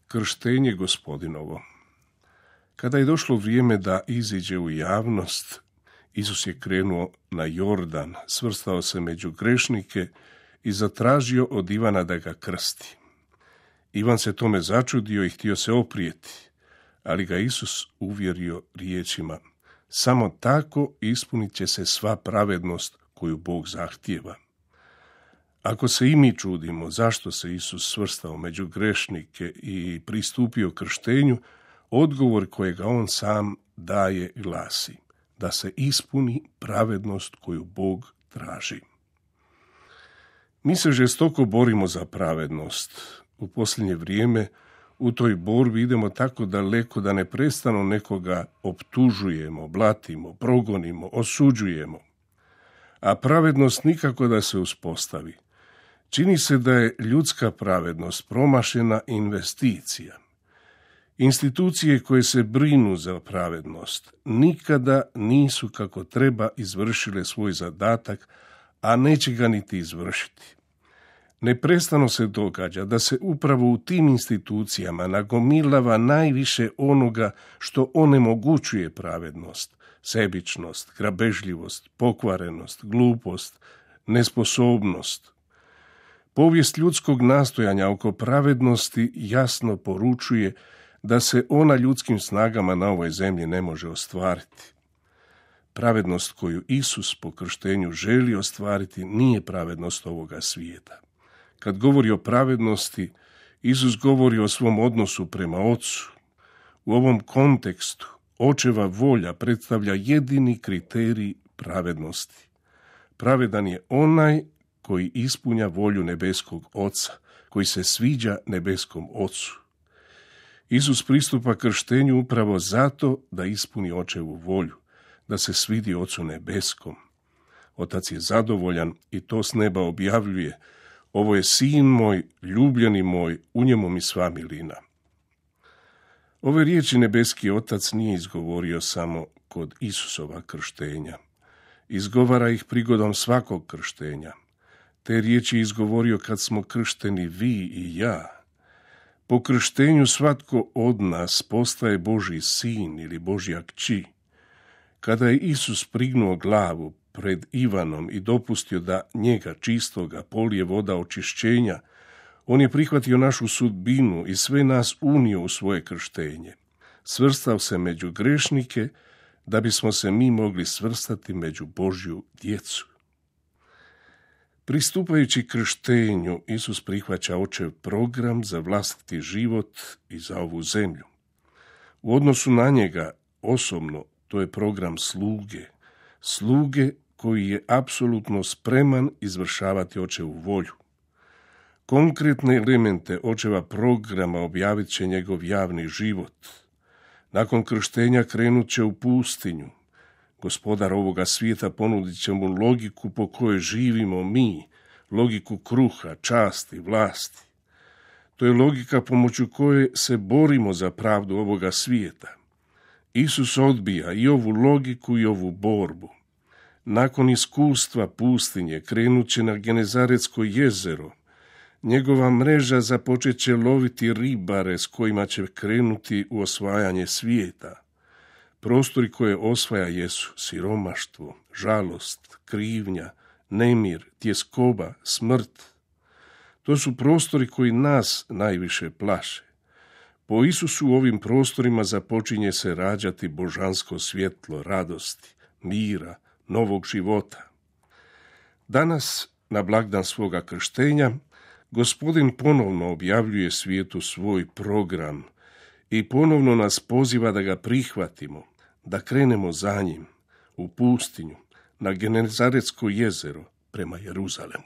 Krštenje Gospodinovo. Kada je došlo vrijeme da iziđe u javnost, Isus je krenuo na Jordan, svrstao se među grešnike i zatražio od Ivana da ga krsti. Ivan se tome začudio i htio se oprijeti, ali ga Isus uvjerio riječima: samo tako ispunit će se sva pravednost koju Bog zahtijeva. Ako se i mi čudimo zašto se Isus svrstao među grešnike i pristupio krštenju, odgovor kojega on sam daje glasi: da se ispuni pravednost koju Bog traži. Mi se žestoko borimo za pravednost. U posljednje vrijeme u toj borbi idemo tako daleko da neprestano nekoga optužujemo, blatimo, progonimo, osuđujemo. A pravednost nikako da se uspostavi. Čini se da je ljudska pravednost promašena investicija. Institucije koje se brinu za pravednost nikada nisu kako treba izvršile svoj zadatak, a neće ga niti izvršiti. Neprestano se događa da se upravo u tim institucijama nagomilava najviše onoga što onemogućuje pravednost: sebičnost, grabežljivost, pokvarenost, glupost, nesposobnost. Povijest ljudskog nastojanja oko pravednosti jasno poručuje da se ona ljudskim snagama na ovoj zemlji ne može ostvariti. Pravednost koju Isus po krštenju želi ostvariti nije pravednost ovoga svijeta. Kad govori o pravednosti, Isus govori o svom odnosu prema Ocu. U ovom kontekstu Očeva volja predstavlja jedini kriterij pravednosti. Pravedan je onaj koji ispunja volju nebeskog Oca, koji se sviđa nebeskom Ocu. Isus pristupa krštenju upravo zato da ispuni Očevu volju, da se svidi Ocu nebeskom. Otac je zadovoljan i to s neba objavljuje: ovo je sin moj, ljubljeni moj, u njemu mi sva milina. Ove riječi nebeski Otac nije izgovorio samo kod Isusova krštenja. Izgovara ih prigodom svakog krštenja. Te riječi je izgovorio kad smo kršteni vi i ja. Po krštenju svatko od nas postaje Božji sin ili Božja kći. Kada je Isus prignuo glavu pred Ivanom i dopustio da njega čistoga polije voda očišćenja, on je prihvatio našu sudbinu i sve nas unio u svoje krštenje. Svrstao se među grešnike da bismo se mi mogli svrstati među Božju djecu. Pristupajući krštenju, Isus prihvaća Očev program za vlastiti život i za ovu zemlju. U odnosu na njega osobno to je program sluge koji je apsolutno spreman izvršavati Očevu volju. Konkretne elemente Očeva programa objavit će njegov javni život. Nakon krštenja krenut će u pustinju. Gospodar ovoga svijeta ponudit će mu logiku po kojoj živimo mi, logiku kruha, časti, vlasti. To je logika pomoću koje se borimo za pravdu ovoga svijeta. Isus odbija i ovu logiku i ovu borbu. Nakon iskustva pustinje krenut će na Genezaretsko jezero. Njegova mreža započet će loviti ribare s kojima će krenuti u osvajanje svijeta. Prostori koje osvaja jesu siromaštvo, žalost, krivnja, nemir, tjeskoba, smrt. To su prostori koji nas najviše plaše. Po Isusu u ovim prostorima započinje se rađati božansko svjetlo radosti, mira, novog života. Danas, na blagdan svoga krštenja, Gospodin ponovno objavljuje svijetu svoj program i ponovno nas poziva da ga prihvatimo, da krenemo za njim u pustinju, na Genezaretsko jezero prema Jeruzalemu.